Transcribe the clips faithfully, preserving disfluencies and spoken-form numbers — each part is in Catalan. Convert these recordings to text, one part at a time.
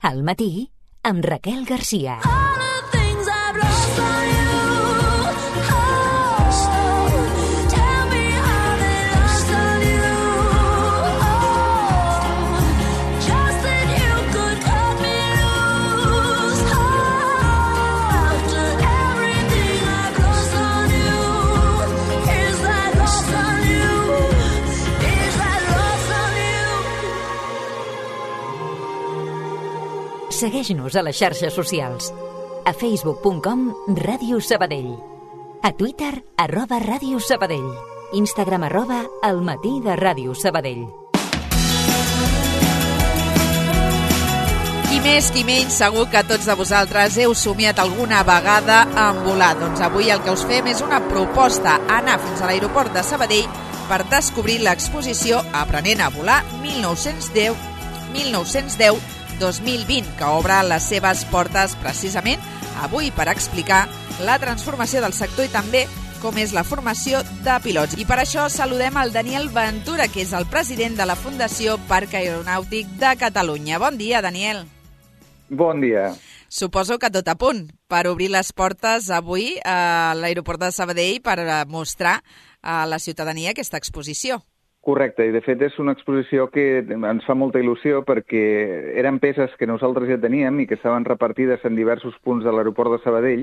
Al matí, amb Raquel Garcia. Segueix-nos a les xarxes socials. A facebook punt com Ràdio Sabadell. A Twitter, arroba Ràdio Sabadell. Instagram, arroba El matí de Ràdio Sabadell. Qui més, qui menys, segur que tots de vosaltres heu somiat alguna vegada en volar. Doncs avui el que us fem és una proposta, anar fins a l'aeroport de Sabadell per descobrir l'exposició Aprenent a volar mil nou-cents deu dos mil vint, que obre les seves portes precisament avui per explicar la transformació del sector i també com és la formació de pilots. I per això saludem el Daniel Ventura, que és el president de la Fundació Parc Aeronàutic de Catalunya. Bon dia, Daniel. Bon dia. Suposo que tot a punt per obrir les portes avui a l'aeroport de Sabadell per mostrar a la ciutadania aquesta exposició. Correcte, i de fet és una exposició que ens fa molta il·lusió perquè eren peces que nosaltres ja teníem i que estaven repartides en diversos punts de l'aeroport de Sabadell,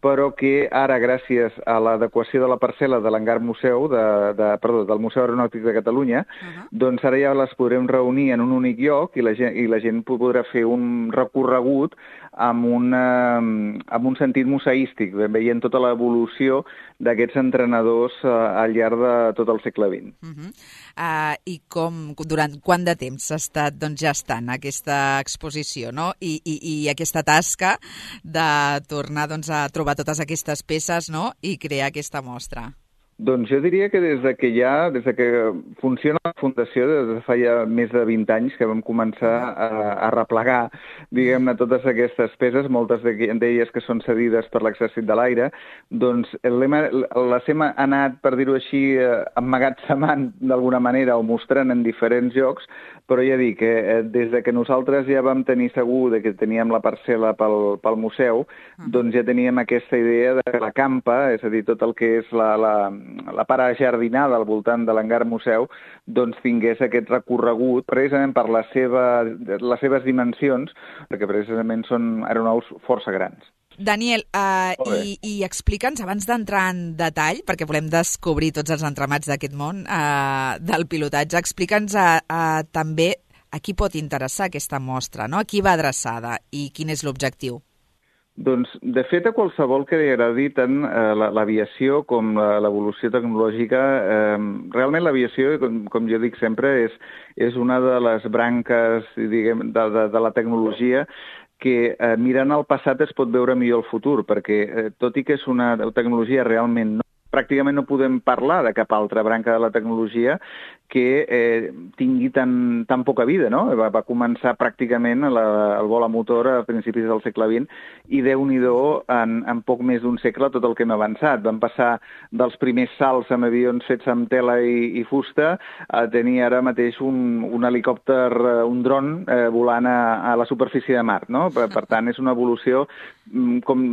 però que ara, gràcies a l'adequació de la parcel·la de l'hangar museu, de, de, perdó, del Museu Aeronàutic de Catalunya, uh-huh. doncs ara ja les podrem reunir en un únic lloc i la gent, i la gent podrà fer un recorregut amb, una, amb un sentit museístic, veient tota l'evolució d'aquests entrenadors uh, al llarg de tot el segle vint. Uh-huh. Uh, I com, durant quant de temps s'ha estat doncs, gestant aquesta exposició, no? I, i, i aquesta tasca de tornar doncs, a trobar totes aquestes peces, no? I crear aquesta mostra? Doncs jo diria que des de que ja, des de que funciona la Fundació, des de fa ja més de vint anys que vam començar a, a replegar, diguem-ne, totes aquestes peces, moltes d'elles que són cedides per l'Exèrcit de l'Aire, doncs les hem anat, per dir-ho així, emmagatzemant d'alguna manera o mostrant en diferents llocs, però ja dic que eh, des de que nosaltres ja vam tenir segur de que teníem la parcel·la pel, pel museu, doncs ja teníem aquesta idea de que la campa, és a dir, tot el que és la, la, la part ajardinada al voltant de l'hangar museu, doncs tingués aquest recorregut precisament per la seva, les seves dimensions, perquè precisament són aeronaus força grans. Daniel, uh, i, i explica'ns, abans d'entrar en detall, perquè volem descobrir tots els entramats d'aquest món uh, del pilotatge, explica'ns uh, uh, també a qui pot interessar aquesta mostra, no? A qui va adreçada i quin és l'objectiu? Doncs, de fet, a qualsevol que li agradi tant eh, l'aviació com l'evolució tecnològica, eh, realment l'aviació, com, com jo dic sempre, és, és una de les branques, diguem, de, de, de la tecnologia que eh, mirant al passat es pot veure millor el futur, perquè eh, tot i que és una tecnologia realment no, pràcticament no podem parlar de cap altra branca de la tecnologia que eh, tingui tan, tan poca vida, no? Va, va començar pràcticament la, el vol a motor a principis del segle vint i Déu-n'hi-do en, en poc més d'un segle tot el que hem avançat. Vam passar dels primers salts amb avions fets amb tela i, i fusta a tenir ara mateix un, un helicòpter, un dron eh, volant a, a la superfície de Mart, no? Per, per tant, és una evolució, com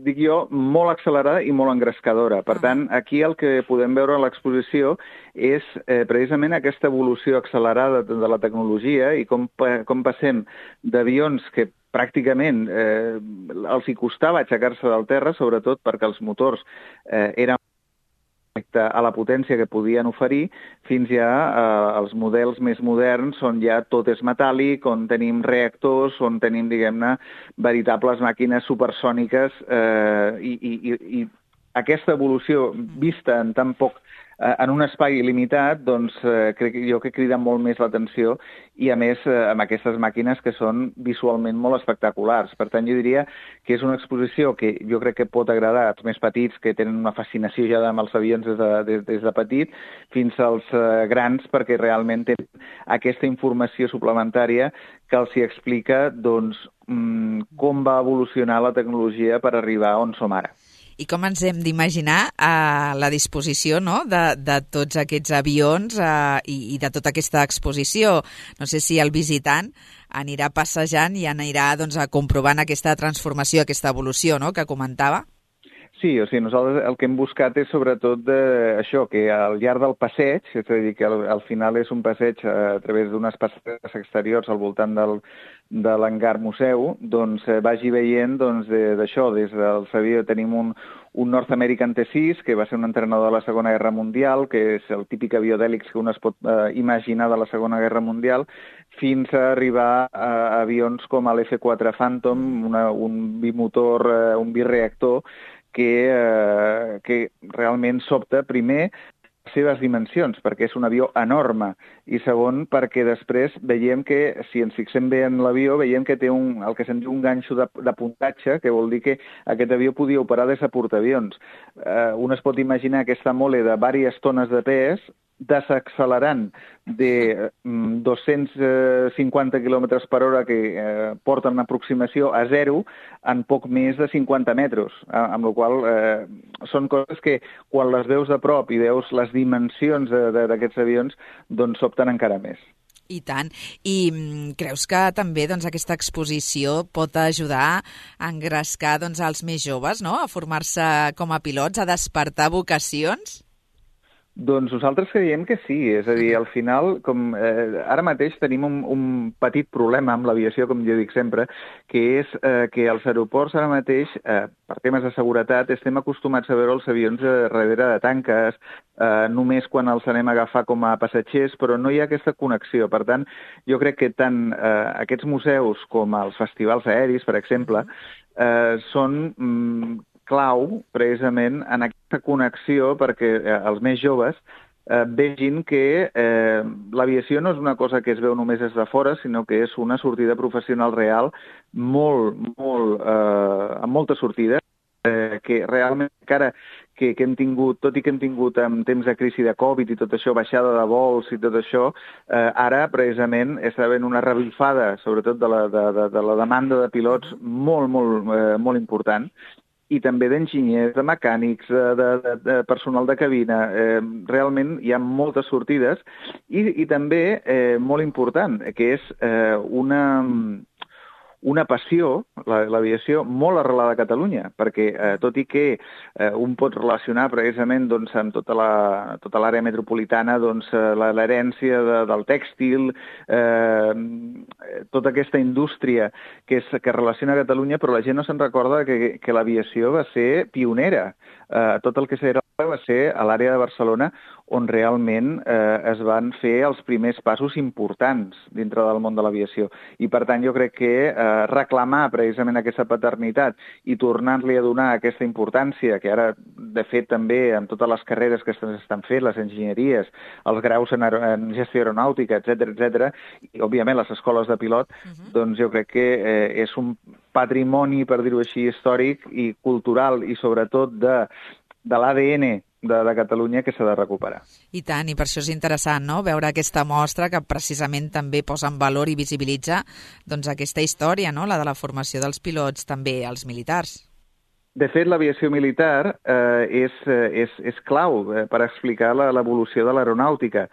dic jo, molt accelerada i molt engrescadora. Per tant, aquí el que podem veure a l'exposició és eh, precisament aquesta evolució accelerada de la tecnologia i com, com passem d'avions que pràcticament eh, els hi costava aixecar-se del terra, sobretot perquè els motors eh, eren a la potència que podien oferir, fins ja eh, els models més moderns on ja tot és metàl·lic, on tenim reactors, on tenim, diguem-ne, veritables màquines supersòniques eh, i, i, i aquesta evolució vista en tan poc en un espai limitat, doncs eh, crec jo que crida molt més l'atenció i a més eh, amb aquestes màquines que són visualment molt espectaculars. Per tant, jo diria que és una exposició que jo crec que pot agradar als més petits que tenen una fascinació ja amb els avions des de, des, des de petit fins als eh, grans perquè realment tenen aquesta informació suplementària que els hi explica doncs, mm, com va evolucionar la tecnologia per arribar on som ara. I com ens hem d'imaginar a la disposició, no?, de, de tots aquests avions eh, i, i de tota aquesta exposició. No sé si el visitant anirà passejant i anirà doncs, comprovant aquesta transformació, aquesta evolució, no?, que comentava. Sí, o sigui, nosaltres el que hem buscat és sobretot de, això, que al llarg del passeig, és a dir, que al, al final és un passeig a través d'unes passeres exteriors al voltant del, de l'hangar museu, doncs eh, vagi veient doncs, d'això, de, des del Savió tenim un, un North American T sis, que va ser un entrenador de la Segona Guerra Mundial, que és el típic avió d'hèlix que un es pot eh, imaginar de la Segona Guerra Mundial, fins a arribar a avions com l'F quatre Phantom, una, un bimotor, eh, un bireactor, que, eh, que realment sobta, primer, les seves dimensions, perquè és un avió enorme, i segon, perquè després veiem que, si ens fixem bé en l'avió, veiem que té un, el que se'n diu un ganxo de, de puntatge, que vol dir que aquest avió podia operar des de portaavions. Eh, un es pot imaginar aquesta mole de diverses tones de pes, desaccelerant de mm, dos-cents cinquanta quilòmetres per hora que eh, porten una aproximació a zero en poc més de cinquanta metres, eh, amb la qual eh, són coses que quan les veus de prop i veus les dimensions d'aquests avions, doncs sobten encara més. I tant. I creus que també doncs, aquesta exposició pot ajudar a engrescar doncs, els més joves, no?, a formar-se com a pilots, a despertar vocacions? Doncs nosaltres creiem que sí, és a dir, al final, com eh, ara mateix tenim un, un petit problema amb l'aviació, com jo dic sempre, que és eh, que als aeroports ara mateix, eh, per temes de seguretat, estem acostumats a veure els avions eh, darrere de tanques, eh, només quan els anem a agafar com a passatgers, però no hi ha aquesta connexió. Per tant, jo crec que tant eh, aquests museus com els festivals aeris, per exemple, eh, són mm, clau, precisament, en aquesta connexió perquè eh, els més joves eh, vegin que eh, l'aviació no és una cosa que es veu només des de fora, sinó que és una sortida professional real, molt, molt, eh, amb moltes sortides, eh, que realment encara que, que hem tingut, tot i que hem tingut en temps de crisi de Covid i tot això, baixada de vols i tot això, eh, ara precisament està havent una revifada, sobretot de la, de, de, de la demanda de pilots molt, molt, eh, molt important, i també d'enginyers, de mecànics, de, de, de personal de cabina. Eh, realment hi ha moltes sortides i, i també, eh, molt important, que és eh, una, una passió, l'aviació, molt arrelada a Catalunya, perquè eh, tot i que eh, un pot relacionar precisament doncs, amb tota la, tota l'àrea metropolitana doncs, l'herència de, del tèxtil, eh, tota aquesta indústria que, és, que relaciona a Catalunya, però la gent no se'n recorda que, que l'aviació va ser pionera. Eh, tot el que s'era va ser a l'àrea de Barcelona on realment eh, es van fer els primers passos importants dintre del món de l'aviació. I, per tant, jo crec que eh, reclamar precisament aquesta paternitat i tornar-li a donar aquesta importància, que ara, de fet, també amb totes les carreres que s'estan fent, les enginyeries, els graus en, en gestió aeronàutica, etcètera, etcètera, i, òbviament, les escoles de pilot, uh-huh. doncs jo crec que eh, és un patrimoni, per dir-ho així, històric i cultural i, sobretot, de de l'A D N de, de Catalunya que s'ha de recuperar. I tant, i per això és interessant, no?, veure aquesta mostra que precisament també posa en valor i visibilitza doncs, aquesta història, no?, la de la formació dels pilots, també els militars. De fet, l'aviació militar eh, és, és, és clau eh, per explicar l'evolució de l'aeronàutica.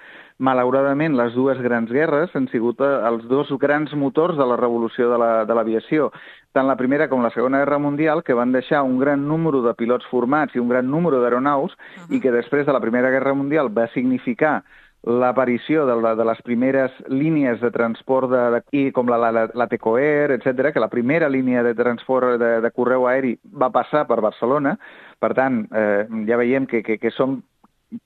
Malauradament, les dues grans guerres han sigut els dos grans motors de la revolució de l'aviació. Tant la Primera com la Segona Guerra Mundial, que van deixar un gran número de pilots formats i un gran número d'aeronaus, uh-huh. i que després de la Primera Guerra Mundial va significar l'aparició de, de les primeres línies de transport de, de, i com la, la, la Tecoair, etcètera, que la primera línia de transport de, de correu aeri va passar per Barcelona. Per tant, eh, ja veiem que, que, que som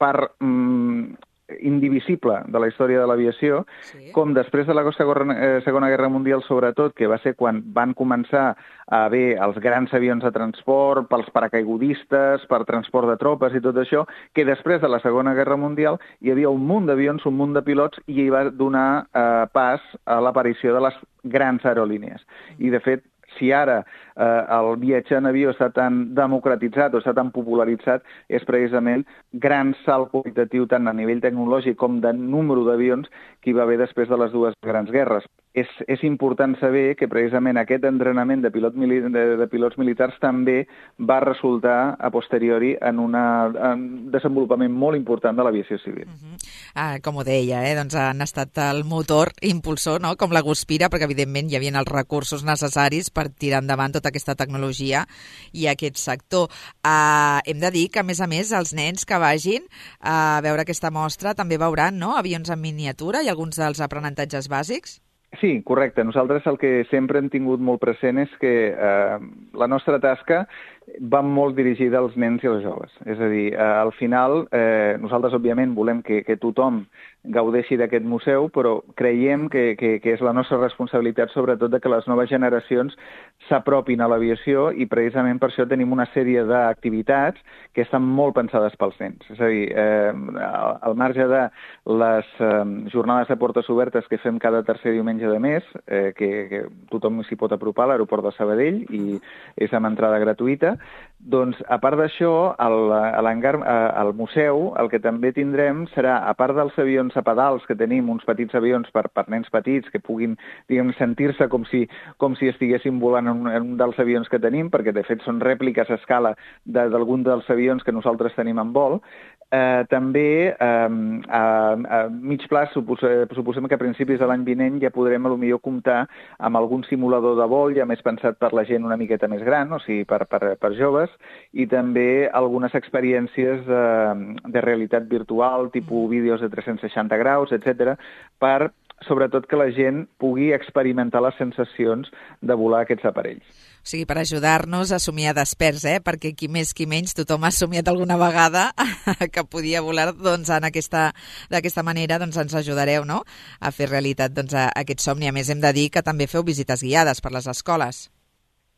part mm, indivisible de la història de l'aviació, sí. Com després de la Segona Guerra Mundial, sobretot, que va ser quan van començar a haver els grans avions de transport, pels paracaigudistes, per transport de tropes i tot això, que després de la Segona Guerra Mundial hi havia un munt d'avions, un munt de pilots, i hi va donar eh, pas a l'aparició de les grans aerolínies. I, de fet, si ara eh, el viatge en avió està tan democratitzat o està tan popularitzat, és precisament gran salt qualitatiu tant a nivell tecnològic com de número d'avions que hi va haver després de les dues grans guerres. és, és important saber que precisament aquest entrenament de, pilot mili de, de pilots militars també va resultar a posteriori en, una, en un desenvolupament molt important de l'aviació civil. Uh -huh. ah, com ho deia, eh? doncs han estat el motor impulsor, no? Com la Guspira, perquè evidentment hi havia els recursos necessaris per tirar endavant tota aquesta tecnologia i aquest sector. Uh, hem de dir que, a més a més, els nens que vagin a veure aquesta mostra també veuran, no?, avions en miniatura i alguns dels aprenentatges bàsics. Sí, correcte. Nosaltres el que sempre hem tingut molt present és que eh, la nostra tasca va molt dirigida als nens i als joves. És a dir, eh, al final, eh, nosaltres, òbviament, volem que, que tothom gaudeixi d'aquest museu, però creiem que, que, que és la nostra responsabilitat, sobretot, de que les noves generacions s'apropin a l'aviació i, precisament, per això tenim una sèrie d'activitats que estan molt pensades pels nens. És a dir, eh, al marge de les eh, jornades de portes obertes que fem cada tercer diumenge de mes, eh, que, que tothom s'hi pot apropar a l'aeroport de Sabadell i és amb entrada gratuïta, doncs, a part d'això, al museu el que també tindrem serà, a part dels avions a pedals, que tenim uns petits avions per, per nens petits que puguin, diguem, sentir-se com si, com si estiguessin volant en un, en un dels avions que tenim, perquè de fet són rèpliques a escala d'algun dels avions que nosaltres tenim en vol. Eh, també eh, a, a mig plaç supos, suposem que a principis de l'any vinent ja podrem potser comptar amb algun simulador de vol ja més pensat per la gent una miqueta més gran, o sigui, per, per, per joves, i també algunes experiències de, de realitat virtual, tipus vídeos de tres-cents seixanta graus, etcètera, per sobretot que la gent pugui experimentar les sensacions de volar aquests aparells. O sigui, per ajudar-nos a somiar desperts, eh? Perquè qui més, qui menys, tothom ha somiat alguna vegada que podia volar, doncs, en aquesta, d'aquesta manera, doncs, ens ajudareu, no?, a fer realitat, doncs, a, a aquest somni. A més, hem de dir que també feu visites guiades per les escoles.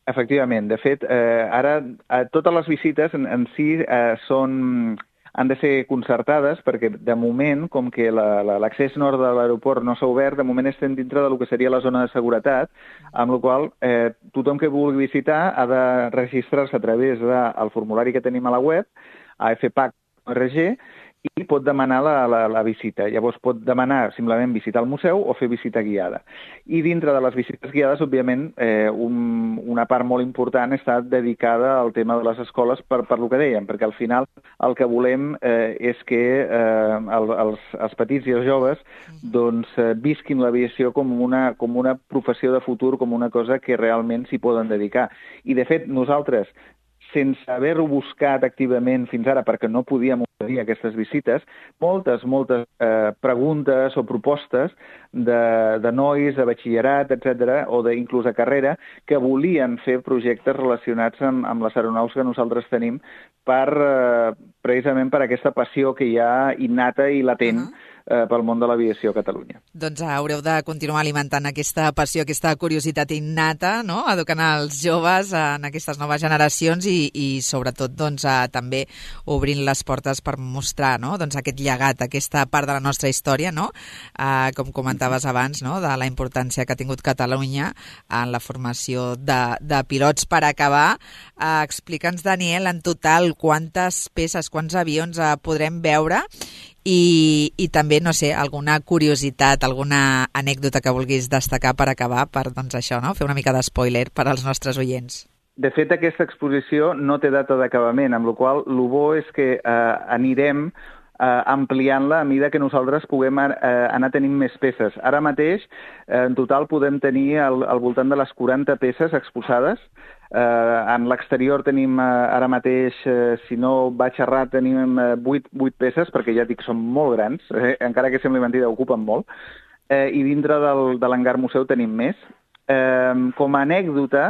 Efectivament. De fet, eh, ara eh, totes les visites en, en si eh, són... han de ser concertades perquè, de moment, com que l'accés nord de l'aeroport no s'ha obert, de moment estem dintre del que seria la zona de seguretat, amb la qual eh, tothom que vulgui visitar ha de registrar-se a través del formulari que tenim a la web, a f p a c punt o r g, i pot demanar la, la, la visita. Llavors pot demanar simplement visitar el museu o fer visita guiada. I dintre de les visites guiades, òbviament, eh, un, una part molt important està dedicada al tema de les escoles per, per lo que dèiem, perquè al final el que volem eh, és que eh, el, els, els petits i els joves doncs, eh, visquin l'aviació com una, com una professió de futur, com una cosa que realment s'hi poden dedicar. I, de fet, nosaltres, sense haver-ho buscat activament fins ara perquè no podíem oferir aquestes visites, moltes, moltes eh, preguntes o propostes de, de nois, de batxillerat, etcètera, o de, inclús a carrera, que volien fer projectes relacionats amb, amb les aeronaus que nosaltres tenim per, eh, precisament per aquesta passió que hi ha innata i latent uh-huh. eh, pel món de l'aviació a Catalunya. Doncs haureu de continuar alimentant aquesta passió, aquesta curiositat innata, no?, educant els joves en aquestes noves generacions i, i sobretot, doncs, a, també obrint les portes per mostrar, no?, doncs, aquest llegat, aquesta part de la nostra història, no?, uh, com comentaves abans, no?, de la importància que ha tingut Catalunya en la formació de, de pilots. Per acabar, uh, explica'ns, Daniel, en total quantes peces, quants avions uh, podrem veure i, i també, no sé, alguna curiositat, alguna anècdota que vulguis destacar per acabar, per, doncs, això, no?, fer una mica d'espoiler per als nostres oients. De fet, aquesta exposició no té data d'acabament, amb la qual cosa el bo és que eh, anirem eh, ampliant-la a mesura que nosaltres puguem eh, anar tenint més peces. Ara mateix, eh, en total, podem tenir al, al voltant de les quaranta peces exposades. Eh, en l'exterior tenim eh, ara mateix, eh, si no vaig errat, tenim eh, vuit, vuit peces, perquè ja dic, són molt grans, eh, encara que sembli mentida, ocupen molt. Eh, I dintre del, de l'hangar museu tenim més. Eh, com a anècdota,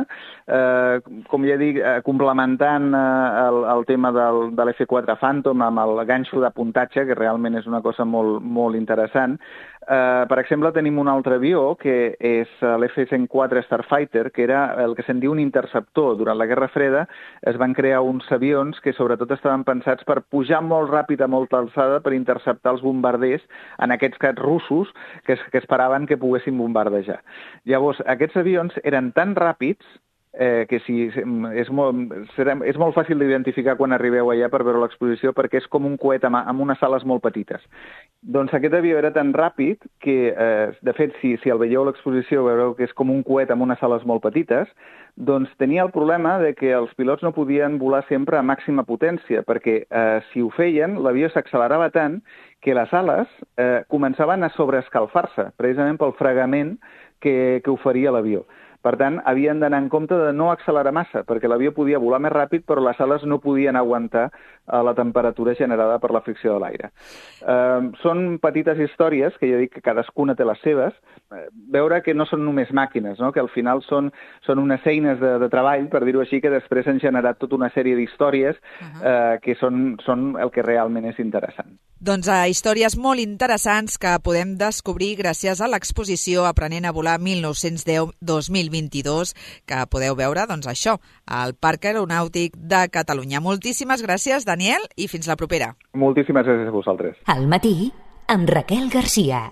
eh, com ja dic, eh, complementant eh, el, el tema del, de l'F quatre Phantom amb el ganxo de puntatge, que realment és una cosa molt, molt interessant, eh, per exemple, tenim un altre avió, que és l'F cent quatre Starfighter, que era el que se'n diu un interceptor. Durant la Guerra Freda es van crear uns avions que sobretot estaven pensats per pujar molt ràpid a molta alçada per interceptar els bombarders, en aquests cas russos, que, es, que esperaven que poguessin bombardejar. Llavors, aquests avions eren tan ràpids eh, que si, és, molt, serà, és molt fàcil d'identificar quan arribeu allà per veure l'exposició, perquè és com un coet amb, amb unes sales molt petites. Doncs aquest avió era tan ràpid que, eh, de fet, si, si el veieu a l'exposició, veureu que és com un coet amb unes sales molt petites, doncs tenia el problema de que els pilots no podien volar sempre a màxima potència, perquè eh, si ho feien, l'avió s'accelerava tant que les ales eh, començaven a sobreescalfar-se, precisament pel fregament que, que oferia l'avió. Per tant, havien d'anar en compte de no accelerar massa, perquè l'avió podia volar més ràpid, però les ales no podien aguantar eh, la temperatura generada per la fricció de l'aire. Eh, són petites històries, que jo dic que cadascuna té les seves, eh, veure que no són només màquines, no? Que al final són, són unes eines de, de treball, per dir-ho així, que després han generat tota una sèrie d'històries uh-huh. eh, que són, són el que realment és interessant. Doncs a històries molt interessants que podem descobrir gràcies a l'exposició Aprenent a volar mil nou-cents deu dos mil vint-i-dos, que podeu veure, doncs això, al Parc Aeronàutic de Catalunya. Moltíssimes gràcies, Daniel, i fins la propera. Moltíssimes gràcies a vosaltres. Al matí, amb Raquel Garcia.